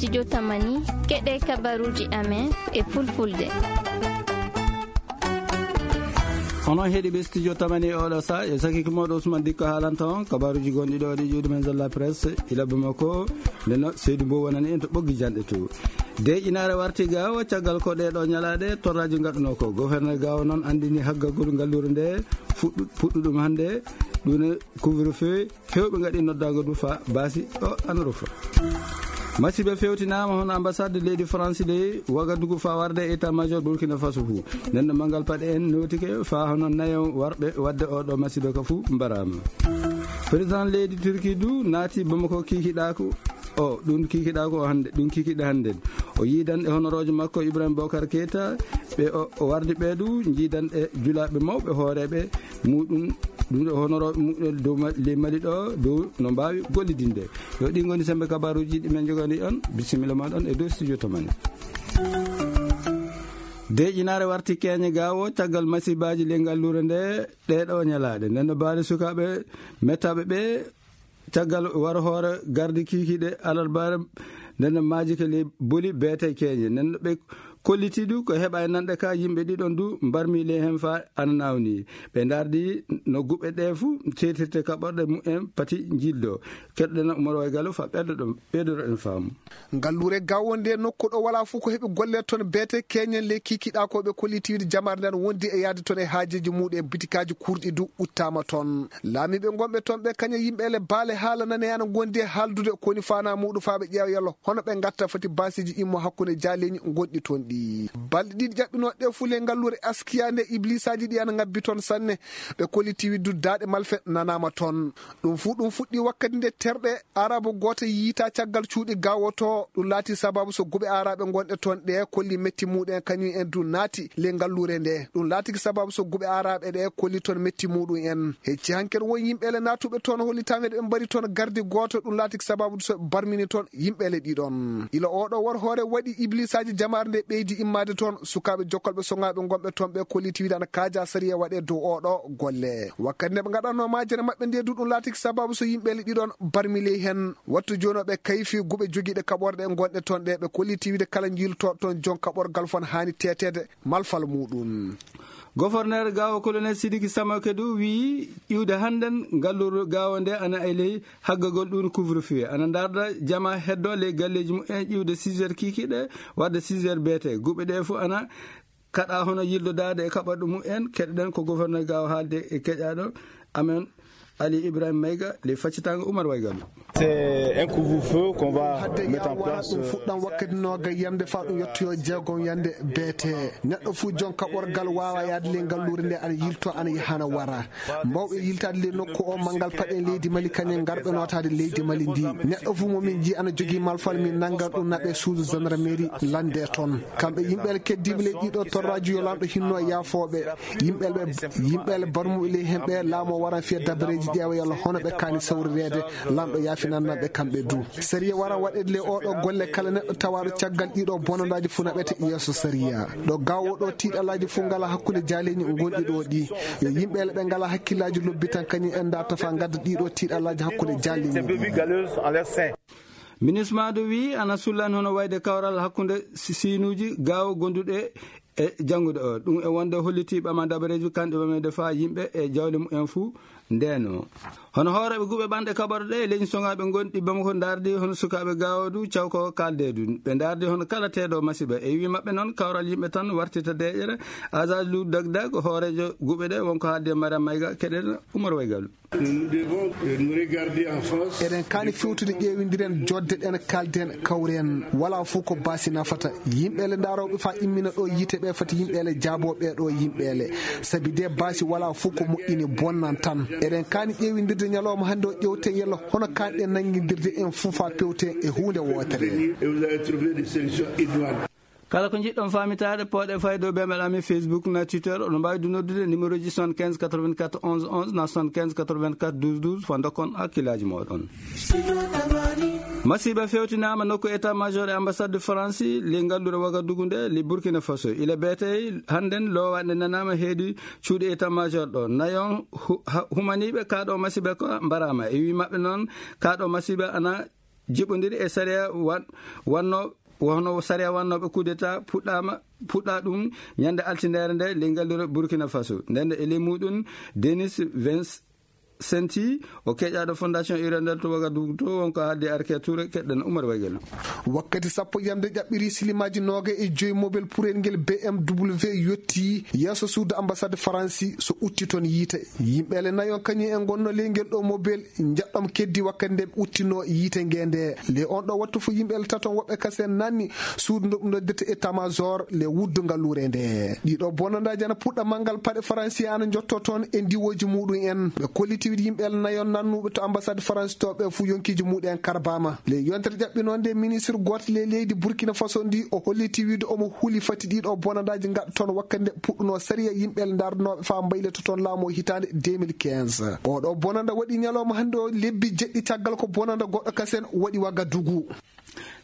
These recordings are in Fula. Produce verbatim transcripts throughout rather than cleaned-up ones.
Studio Tamani, keɗe kabaruji amen e fulfulde. Onon heɗiɓe Studio Tamani e oɗo sa, e sakiki moɗo Ousmane Dikko haalanta on kabaruji gonɗi ɗo ɗi ƴuwdi men Zalla Presse, ila Bamako, nde no Seydou Mbow wonani en to ɓoggi janɗe to. De inaare warti gawo caggal ko ɗe ɗo ñalaɗe torraji gaɗuno ko. Gouverneur gawo noon andini haggagol ngallure nde fuɗɗu-, puɗɗuɗum hande ɗum couvre-feu. Hewɓe ngaɗi noddago du fa basi o ana rufa. Masiba fewtinama hono ambassade leydi France de Wagadugu fa warde état major Burkina Faso fu. Nden no mangal paɗe en notike fa hono nayo warɓe wadde oɗo masiba ka fu mbarama. Président leydi Turquie du naati Bamako kikiɗako. O, ɗum kikiɗako o hande, ɗum kikiɗe hande. O yiidan e honorojo makko Ibrahim Bokar Keita, ɓe o, o wardi ɓe du, jiidan e julaɓe mawɓe hooreɓe muɗum, ɗum ɗo honoro muɗum dow Ma-, ley Mali ɗo, dow no mbawi gollidinde. Yo ɗi ngoni sembe kabaruji ɗi men jogani on, bisimilla ma ɗon e dow studio to men. Deƴinare warti keñe gawo, caggal masibaji ley ngallure nde, ɗe ɗo ñalaɗe. Nden no baali sukaɓe, mettaɓe ɓe, caggal waro hoore gardi kikiɗe alarbaare, nden no maaji ke ley boli beete keñe. Nden no ɓe kolliti du ko heɓa e nanɗe ka yimɓe ɗiɗon du mbarmi ley hen fa ana nawni. Ɓe ndardi no guɓe ɗe fu cetirte kaɓorɗe mumen pati jildo. Keɗɗen Umar Waygalo fa ɓeddo ɗo, ɓeydoro en faamu. Ngallure gawo nde nokku ɗo wala fu ko heɓi golle ton beete keñen ley kikiɗa ko ɓe kolliti wiide jamare nden wondi e yaade ton e haajeji muɗum e bitikaji kurɗi du uttama ton. Laamiɓe gonɓe ton ɓe kaña yimɓe ele baale haala nane ana gondi e haaldude koni fana muɗum fa ɓe ƴeewa yallo hono ɓe gatta foti basiji immo hakkunde jaleñi gonɗi ton ɗi. Balɗe ɗiɗi ƴaɓɓinoɗe fu ley ngallure askiya nde iblisaji ɗi ana ngabbi ton sanne. Ɓe kolliti widdu daaɗe malfe nanama ton. Ɗum fu ɗum fuɗɗi wakkati nde terɗe Arabu gooto yiita caggal cuuɗi gawoto. Ɗum laati sababu so guɓe aaraɓe gonɗe toon ɗe kolli metti muɗum en kañum en du naati ley ngallure nde. Ɗum laatiki sababu so guɓe aaraɓe ɗe kolli toon metti muɗum en. Hecci hanker won yimɓeele naatuɓe toon hollitaama ɓe mbari toon gardi gooto. Ɗum laatiki sababu so barmini toon yimɓeele ɗiɗon. Ila oɗo wor hoore waɗi iblisaji jamaare nde ɓeydi immade toon. Sukaaɓe jokkolɓe soŋaaɓe gonɓe toon ɓe kolliti wiide ana kaaja sariya waɗe dow oɗo golle. Wakkati nde ɓe ngaɗanno majere maɓɓe nde du ɗum laatiki sababu so yimɓeele ɗiɗon barmi ley hen. Wattu jooni o ɓe kayfi guɓe jogiiɗe kaɓorɗe gonɗe toon ɗe ɓe kolliti wiide kala jiilto toon jon kaɓorgal fon haani teteede malfal muɗum. Goforneer gawo colonel Sidiki Samake du wiyi iwde hannden ngalluru gawo nde ana e ley haggagol ɗum couvre-feu ana ndarda jama heddo ley galleji mumen iwde six heures kikiɗe wadde six heures beete guɓe ɗe fu ana kaɗa hono yildodaade e kaɓorɗe mumen. Keɗoɗen ko gouverneur gawo haalde e keƴaɗo amen Ali Ibrahim Mayga ley faccitaango Umar Waygalu. C'est un couvre-feu qu'on va mettre en place. Ɗum fuɗɗan wakkati noga yande fa ɗum yettoyo jeegom yande beete. Neɗɗo fu jon kaɓorgal wawa yaade ley ngallure nde ana yilto ana yahana wara. Mbawɓe yiltaade ley nokku o manngal paɗen leydi Mali kañen ngarɓe notaade leydi Mali ndi. Neɗɗo fu mo min ji ana jogii malfal min nanngan ɗum naɓe suudu gendarmerie lande toon. Kamɓe yimɓe keddiiɓe ley ɗiɗo torraji yo lanɗo hinno yaafooɓe. Yimɓeele ɓe, yimɓeele barmuɓe ley hemɓe laamo waran fiya dabareeji ƴeewa yalla hono ɓe kaani sawrireede. Lanɗo yaafinanna ɓe kamɓe du. Sariya waran waɗeede ley oɗo golle kala neɗɗo tawaaɗo caggal ɗiɗo bonandaaji fu naɓete yeeso sariya. Ɗo gawo ɗo tiiɗalaaji fu ngala hakkunde jaaleeñi gonɗi ɗo ɗi. Yo yimɓeele ɓe ngala hakkillaaji lobbitan kañum en ndarta fa ngadda ɗiɗo tiiɗalaaji hakkunde jaaleeñi. Minisma du wi ana sullani hono wayde kawral hakkunde si-, siinuuji gawo gonduɗe e janngude o. Ɗum e wonde holliti ɓama dabareeji kanɗe ɓamede fa yimɓe e jawle mumen fu ndeno. Hono hooreɓe guɓe ɓanɗe kaɓorɗe e leñi soŋaɓe gonɗi Bamako ndardi hono sukaaɓe gawo du cawko kalde du. Ɓe ndardi hono kala teeɗo masiba. E wi maɓɓe noon kawral yimɓe tan wartita deƴere. Azaz Lou Dagdag hoorejo guɓe ɗe wonko haalde Mariam Mayga keɗen Umar Waygalu. Nous devons, euh, nous regarder en face. Eɗen kaani fewtude ƴeewindiren jodde ɗen kalden kawren wala fof ko baasi nafata. Yimɓe le ndarooɓe fa immina ɗo yiite ɓe fati yimɓe le jaabooɓe ɗo yimɓe le. Sabi de baasi wala fof ko moƴƴini bonnan tan. Eɗen kaani ƴeewindirde ñalawma hannde o ƴeewten yalla hono kaanɗen nanngindirde en fof fa pewten e huunde wootere. Et vous allez trouver des solutions idoines. Kala ko njiɗɗon faamitaade, pooɗe fayde dow bemel amen Facebook na Twitter. Oɗon mbaawi du noddude numéro ji soixante-quinze quatre-vingt-quatre onze onze na soixante-quinze quatre-vingt-quatre douze douze, fo ndokkon hakkillaaji mooɗon. Masiiba fewtinaama nokku état major e ambassade de France, le ngalluɗo Wagadugu nde, le Burkina Faso. Ila beetey hannden loowaande nanaama heedi cuuɗi état major ɗo. Nayon hu-, ha-, humaniiɓe kaaɗo masiiba ko mbaraama. E wii maɓɓe noon, kaaɗo masiiba ana jiɓondiri e sariya wan-, wanno, wano sariya wannooɓe coup d'état puɗɗaama, puɗɗa ɗum ñande altindere nde ley ngallure Burkina Faso. Nden e ley muɗum, Denis Vincenti, o keƴaɗo Fondation Hirondelle to Ouagadougou to, wonko haaldi Arke Touré, keɗɗen Oumar Wagel. Wakkati sappo yamde ƴaɓɓiri silimaaji nooga e joyi mobel purel ngel B M W yotti yeeso suudu ambassade Faransi so utti toon yiite. Yimɓe le nayon kañum en ngonno ley ngel ɗo mobel njaɗɗom keddi wakkati nde ɓe uttino yiite nge nde. Le on ɗo wattu fu yimɓe le taton woɓɓe kasen nanni suudu ndu noddirta état-major le wuddu ngalluure nde. Ɗiɗo bonandaaji ana puɗɗa manngal paɗe Faransi ana njotto toon e ndiwooji muɗum en. Ɓe kolliti wiide yimɓe le nayon nannuɓe to ambassade Faransi to ɓe fu yonkiiji muɗum en karbaama. Le yontere ƴaɓɓinonde ministre gooto le leydi Burkina Faso ndi o holliti wiide omo huli fati ɗiɗo bonandaaji ngaɗa toon wakkati nde puɗɗuno sariya yimɓe le ndarnooɓe faa mbayla to toon laamu o hitaande deux mille quinze. Oɗo bonanda waɗi ñalawma hannde o lebbi jeɗɗi caggal ko bonanda goɗɗo kasen waɗi Wagadugu.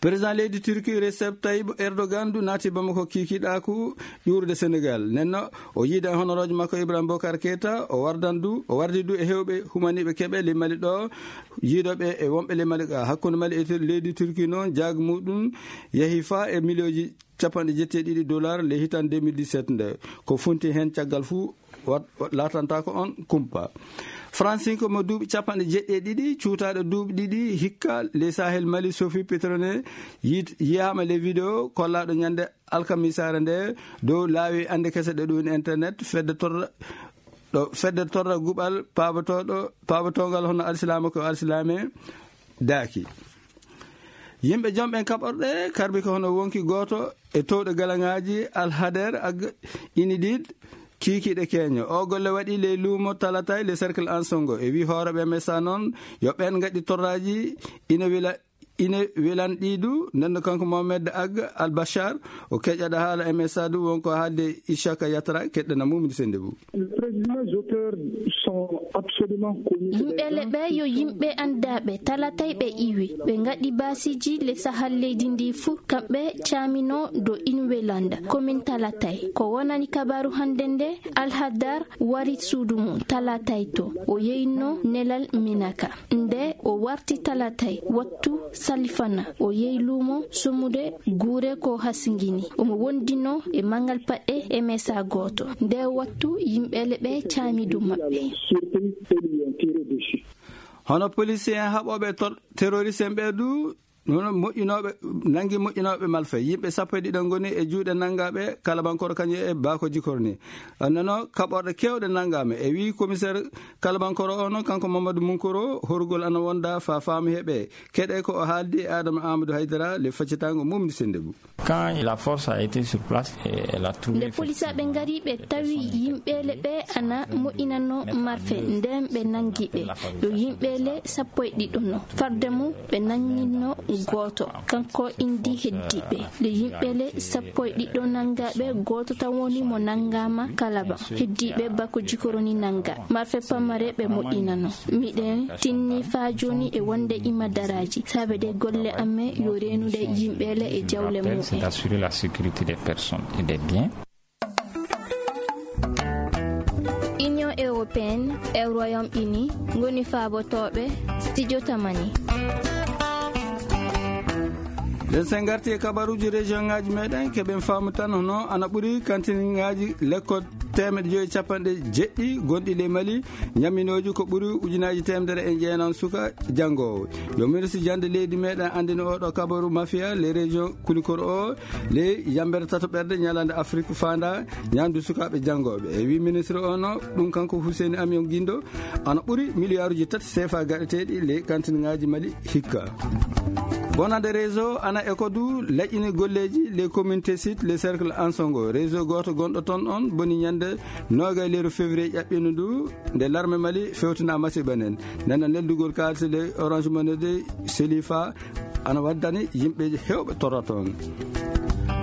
Président leydi Turquie Recep Tayyip Erdogan du naati Bamako kikiɗaaku ƴuurude Sénégal. Nenno o yiida honoroojo makko Ibrahim Bokar Keita, o wardan du, o wardi du e hewɓe humaniiɓe keɓe ley Mali ɗo, yiidooɓe e wonɓe ley Mali ga. Hakkunde Mali e Tur-, leydi Turquie noon, jaag muɗum yahi faa e miliyooji capanɗe jeetati e ɗiɗi dollar ley hitan deux mille dix-sept nde. Ko funti heen caggal fuu, wat-, wat-, laatantaako on kumpa. Fransinko mo duuɓi capanɗe jeetati e ɗiɗi, cuutaaɗo duuɓi ɗiɗi hikka ley Sahel Mali, Sophie Petrone, yiit-, yiyaama ley video kollaaɗo ñande alkamisaare nde dow laawi annde kese ɗe ɗum internet, fedde torra, ɗo fedde torra guɓal paabatooɗo, paabatongal hono alsilaama ko alsilaame daaki. Yimɓe jom ɓen kaɓorɗe karbi ko hono wonki gooto e towɗe galaŋaaji Alhader Ag Inidid kiikiiɗe keeño. O golle waɗi ley luumo Talatay le Cercle Ansongo. E wi hooreɓe M S A noon yo ɓen ngaɗi torraaji ina wila, ina welanɗi du. Nden kanko Mohamed Ag Al Bashar o keƴaɗo haala M S A du wonko haalde Ishaka Yatra keɗɗana mum sende bu. Les présumés auteurs sont absolument connus. Yimɓe le ɓe yo yimɓe anndaaɓe, Talatay ɓe iwi, ɓe ngaɗi baasiiji le sahal leydi ndi fuu, kamɓe caamino do Inwelanda, komin Talatay. Ko wonani kabaaru hannde nde, Alhadar wari suudu mum Talatay to, o yeyno nelal Minaka. Nde o warti Talatay, wattu salifana, o yehi luumo sumude guure ko hasingini. Omo wondino e mangal paɗɗe M S A gooto. Nde wattu yimɓe le ɓe caami dow maɓɓe. Hono policier en haɓooɓe tor-, terroriste en ɓe du, hono moƴƴinooɓe, nangi moƴƴinooɓe malfa. Yimɓe sappo e ɗiɗo ngoni e juuɗe nangaaɓe Kalabankoro kañum e Bako Jikoro ni. Annano kaɓorɗe keewɗe nangaama. E wii commissaire Kalabankoro o noon, kanko Mamadou Munkoro, horugol ana wonda fa faamu heɓe. Keɗe ko o haaldi e Adama Amadou Haydara, le faccitango mum ni sende bu. Quand la force a été sur place, et elle a trouvé... Nde polisaaɓe ngari, ɓe tawi yimɓe le ɓe ana moƴƴinano marfe, nden ɓe nangi ɓe. Yo yimɓe le sappo e ɗiɗo no. Farde mum, ɓe nanginno gooto. Kanko indi heddiiɓe. Le yimɓe le sappo e ɗiɗo nangaaɓe, gooto tan woni mo nangaama Kalaba. Heddiiɓe Bako Jikoro ni nanga. Marfe pamare ɓe moƴƴinano. Miɗen tinni faa jooni e wonde ima daraaji. Saabe de golle amen yo reenude yimɓe le e jawle mumen. D'assurer la sécurité des personnes et des biens. Union européenne e Royaume-Uni ngoni faabotooɓe studio Tamani. Nden sen ngarti e kabaruuji région ŋaaji meɗen, keɓen faamu tan hono ana ɓuri kantiniŋaaji lekkol teemeɗɗe joyi capanɗe jeɗɗi gonɗi ley Mali, ñamminooji ko ɓuri ujunaaji teemedere e jeenan suka janngoowo. Yo ministre jannde leydi meɗen anndini oɗo kabaru mafia ley région Kulikoro o, ley yambere tataɓerde ñalande Afrique faanda ñaandu sukaaɓe janngooɓe. E wi ministre o no, ɗum kanko Hussein Amion Guindo, ana ɓuri miliyaaruji tati seefa gaɗeteeɗi ley kantiniŋaaji Mali hikka. Bonande réseau ana e ko du laƴƴini golleeji les communautés sites, les cercles Ansongo. Réseau gooto gonɗo toon on boni ñande noogay lewru février ƴaɓɓino ndu, nde larme Mali fewtina masiiba nen. Nana neldugol kaalisi ley Orange Money de Selifa ana waddani yimɓe heewɓe torra toon.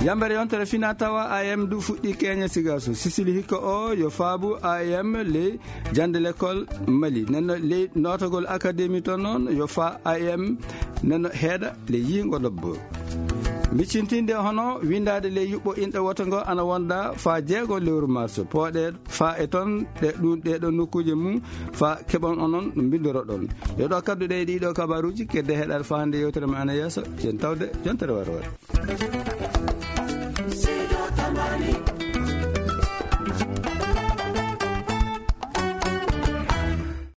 Yambere yontere fina tawa A M du fuɗɗi keñe sigaso. Sisili hikka o yo faabu A M ley jannde lekkol Mali. Nenno ley nootagol akademi toon noon yo faa A M nenno heeɗa ley yiingo lobbo. Miccintinde hono windaade ley yuɓɓo inɗe woto ngo ana wonda fa jeego lewru mars. Pooɗe fa e ton ɗe ɗum ɗeɗo nokkuuje mum fa keɓon onon no mbindoroɗon. Yo ɗo kadduɗe e ɗiɗo kabaruuji kedde heɗal fa hannde yewtere men ana yeeso. Jen tawde jontere wata wata.